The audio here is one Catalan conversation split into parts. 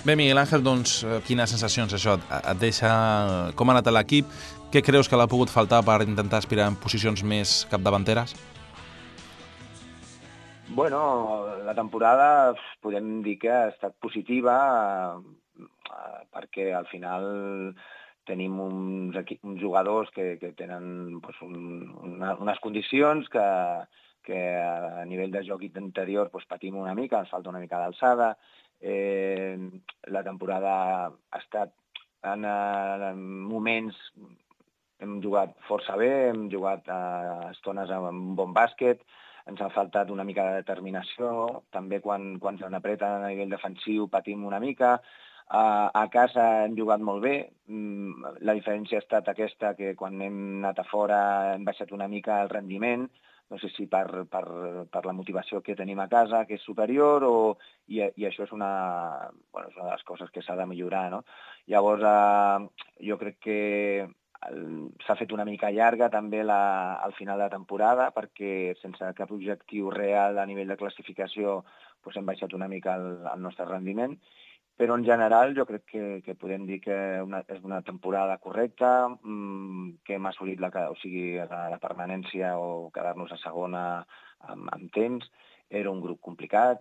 Bé, Miguel Ángel, doncs, quines sensacions això et deixa? Com ha anat l'equip? Què creus que l'ha pogut faltar per intentar aspirar en posicions més capdavanteres? Bueno, la temporada podem dir que ha estat positiva perquè al final tenim uns jugadors que tenen doncs, unes condicions que a nivell de joc interior doncs, patim una mica, ens falta una mica d'alçada. La temporada ha estat en moments, hem jugat força bé, hem jugat estones amb un bon bàsquet, ens ha faltat una mica de determinació, també quan se n'apreta a nivell defensiu patim una mica. A casa hem jugat molt bé, la diferència ha estat aquesta, que quan hem anat a fora hem baixat una mica el rendiment, no sé si per la motivació que tenim a casa, que és superior, i això és una de les coses que s'ha de millorar, no? Llavors, jo crec que s'ha fet una mica llarga també al final de la temporada, perquè sense cap objectiu real a nivell de classificació doncs hem baixat una mica el nostre rendiment. Però en general jo crec que podem dir que és una temporada correcta, que hem assolit la permanència o quedar-nos a segona amb temps. Era un grup complicat,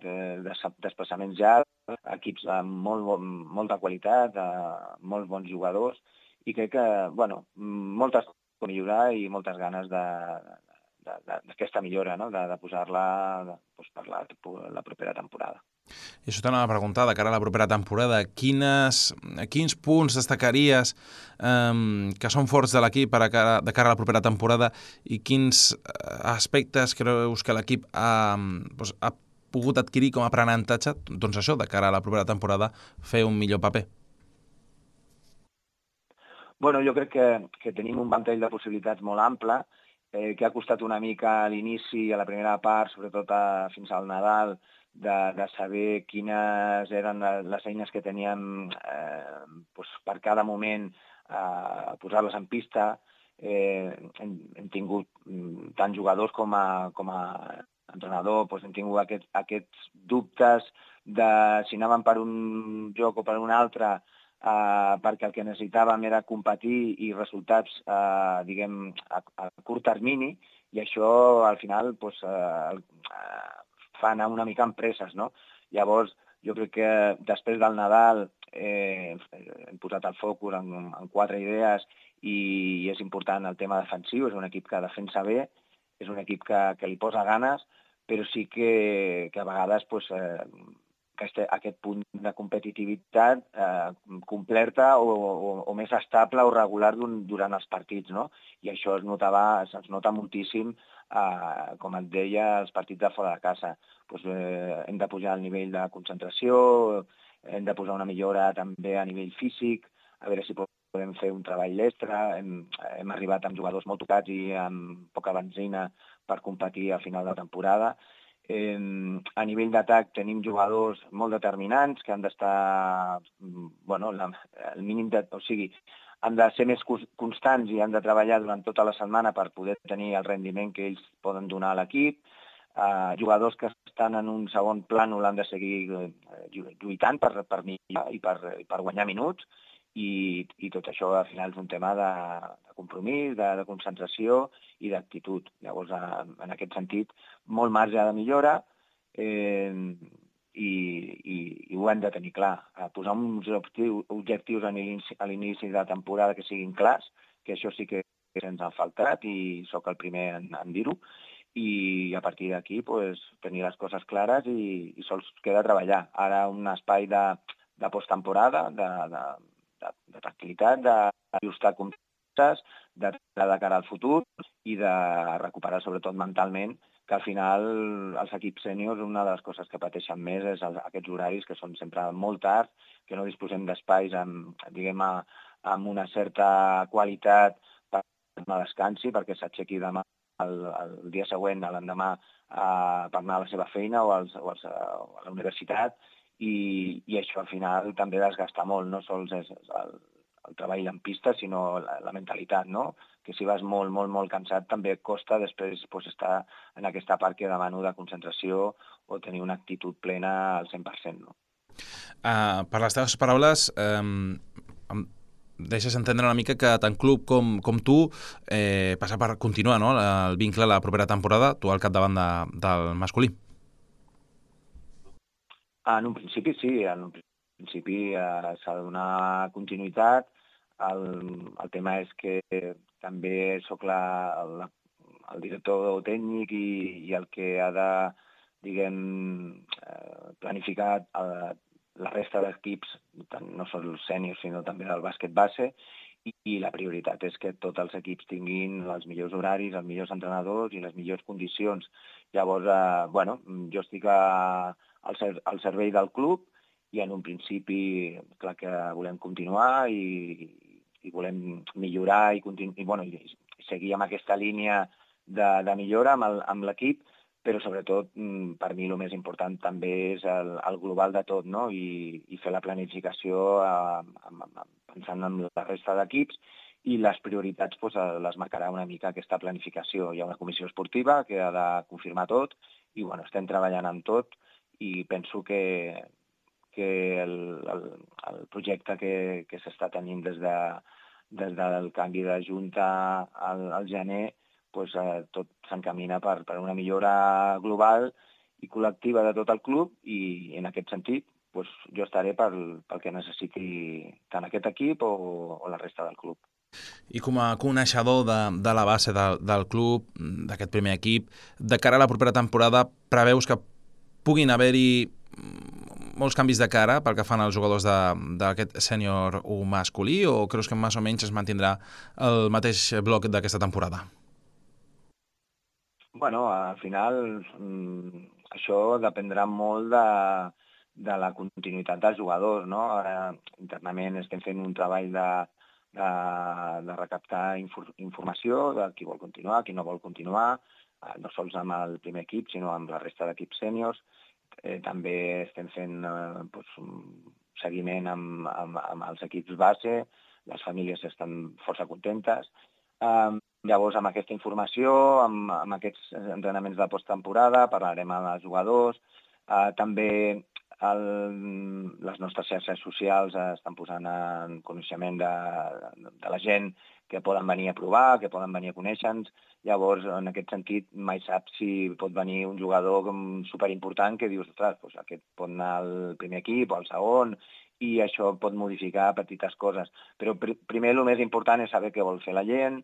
desplaçaments llargs, equips amb molta qualitat, molts bons jugadors, i crec que, moltes coses per millorar i moltes ganes d'aquesta millora, no? de posar-la per la propera temporada. I això t'anava a preguntar, de cara a la propera temporada, quins punts destacaries que són forts de l'equip de cara a la propera temporada i quins aspectes creus que l'equip ha pogut adquirir com a aprenentatge, doncs això, de cara a la propera temporada, fer un millor paper? Bueno, jo crec que tenim un ventall de possibilitats molt ample, que ha costat una mica a l'inici, a la primera part, sobretot fins al Nadal, de saber quines eren les eines que teníem per cada moment, posar-les en pista. Hem tingut tant jugadors com a entrenador, hem tingut aquests dubtes de si anàvem per un joc o per un altre, perquè el que necessitàvem era competir i resultats, diguem, a curt termini, i això al final fa anar una mica amb presses, no? Llavors, jo crec que després del Nadal hem posat el focus en 4 idees i és important el tema defensiu. És un equip que defensa bé, és un equip que li posa ganes, però sí que a vegades aquest punt de competitivitat completa o més estable o regular durant els partits, no? I això es nota moltíssim, com et deia, els partits de fora de casa. Hem de pujar el nivell de concentració, hem de posar una millora també a nivell físic, a veure si podem fer un treball extra. Hem arribat amb jugadors molt tocats i amb poca benzina per competir al final de la temporada. A nivell d'atac tenim jugadors molt determinants que han d'estar, al mínim han de ser més constants i han de treballar durant tota la setmana per poder tenir el rendiment que ells poden donar a l'equip. Jugadors que estan en un segon plànol han de seguir lluitant per millorar i per guanyar minuts, i tot això al final és un tema de compromís, de concentració i d'actitud. Llavors, en aquest sentit, molt marge de millora, i ho hem de tenir clar. Posar uns objectius a l'inici de la temporada que siguin clars, que això sí que ens ha faltat i sóc el primer en dir-ho, i a partir d'aquí tenir les coses clares i sols queda treballar. Ara un espai de posttemporada, de tranquil·litat, d'ajustar comptes, de cara al futur i de recuperar sobretot mentalment, que al final els equips sèniors una de les coses que pateixen més és aquests horaris que són sempre molt tard, que no disposem d'espais amb una certa qualitat per no descansi, perquè s'aixequi demà el dia següent, l'endemà, per anar a la seva feina o a la universitat, i això al final també desgasta molt, no sols és el treball en pista, sinó la mentalitat, no? Que si vas molt, molt, molt cansat també costa després estar en aquesta part que demano de concentració o tenir una actitud plena al 100%, no? Per les teves paraules, em deixes entendre una mica que tant club com tu passa per continuar, no?, el vincle la propera temporada, tu al capdavant del masculí. En un principi sí, en un principi s'ha de donar continuïtat. El tema és que també sóc el director tècnic i el que ha de, diguem, planificar la resta d'equips, no sols els sèniors, sinó també del bàsquet base, i la prioritat és que tots els equips tinguin els millors horaris, els millors entrenadors i les millors condicions. Llavors, jo estic al servei del club i en un principi, clar que volem continuar i volem millorar i seguir amb aquesta línia de millora amb l'equip, però sobretot per mi el més important també és el global de tot, no? I fer la planificació pensant en la resta d'equips i les prioritats les marcarà una mica aquesta planificació. Hi ha una comissió esportiva que ha de confirmar tot i estem treballant amb tot i penso que el projecte que s'està tenint des del canvi de junta al gener tot s'encamina per una millora global i col·lectiva de tot el club i en aquest sentit jo estaré pel que necessiti tant aquest equip o la resta del club. I com a coneixedor de la base del club, d'aquest primer equip, de cara a la propera temporada, preveus que puguin haver-hi molts canvis de cara pel que fan als jugadors d'aquest sènior 1 masculí o creus que més o menys es mantindrà el mateix bloc d'aquesta temporada? Al final això dependrà molt de la continuïtat dels jugadors, no? Ara internament estem fent un treball de recaptar informació de qui vol continuar, qui no vol continuar, no sols amb el primer equip, sinó amb la resta d'equips sèniors. També estem fent seguiment amb els equips base, les famílies estan força contentes. Llavors, amb aquesta informació, amb aquests entrenaments de posttemporada, parlarem amb els jugadors. També les nostres xarxes socials estan posant en coneixement de la gent que poden venir a provar, que poden venir a conèixer-nos. Llavors, en aquest sentit, mai saps si pot venir un jugador superimportant que dius, ostres, aquest pot anar al primer equip o al segon, i això pot modificar petites coses. Però primer el més important és saber què vol fer la gent,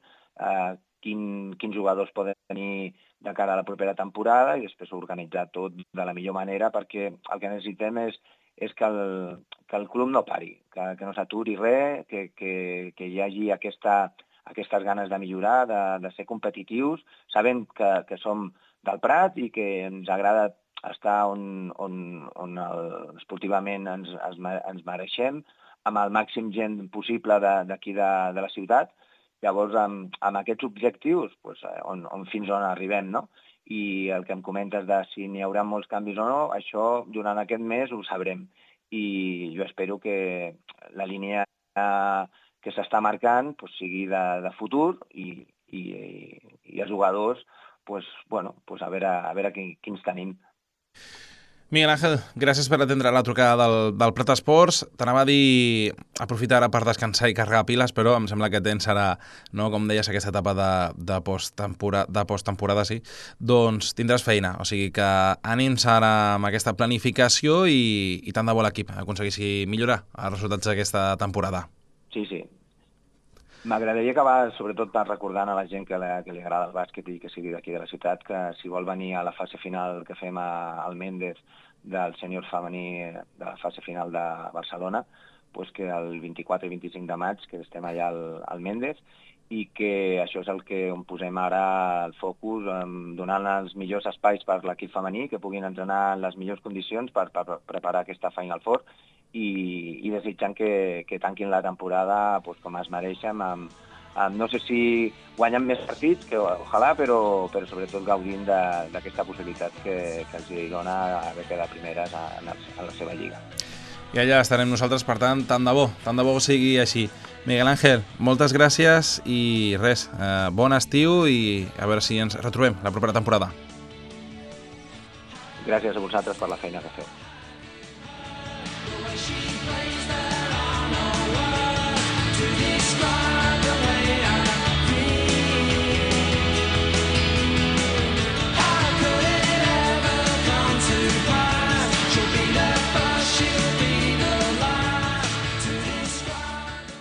quins jugadors poden venir de cara a la propera temporada i després organitzar tot de la millor manera perquè el que necessitem és que el club no pari, que no s'aturi res, que hi hagi aquestes ganes de millorar, de ser competitius, sabent que som del Prat i que ens agrada estar on esportivament ens mereixem, amb el màxim gent possible d'aquí de la ciutat. Llavors, amb aquests objectius, fins on arribem, no? I el que em comentes de si n'hi haurà molts canvis o no, això durant aquest mes ho sabrem. I jo espero que la línia que s'està marcant sigui de futur i els jugadors, a veure quins tenim. Miguel Ángel, gràcies per atendre la trucada del Prat Esports. T'anava a dir aprofitar ara per descansar i carregar piles, però em sembla que tens ara, no, com deies, aquesta etapa de posttemporada, sí, doncs tindràs feina. O sigui que ànims ara amb aquesta planificació i tant de bo l'equip aconseguissi millorar els resultats d'aquesta temporada. Sí. M'agradaria acabar, sobretot, recordant a la gent que li agrada el bàsquet i que sigui d'aquí de la ciutat, que si vol venir a la fase final que fem al Méndez del sènior femení de la fase final de Barcelona, que el 24 i 25 de maig que estem allà al Méndez i que això és el que on posem ara el focus, donant els millors espais per l'equip femení, que puguin entrenar en les millors condicions per preparar aquesta Final Four i desitjant que tanquin la temporada com es mereixen, no sé si guanyen més partits, que ojalà, però sobretot gaudint d'aquesta possibilitat que els dona haver quedat primeres en la seva lliga. I allà estarem nosaltres, per tant de bo sigui així. Miguel Ángel, moltes gràcies i res, bon estiu i a veure si ens retrobem la propera temporada. Gràcies a vosaltres per la feina que feu.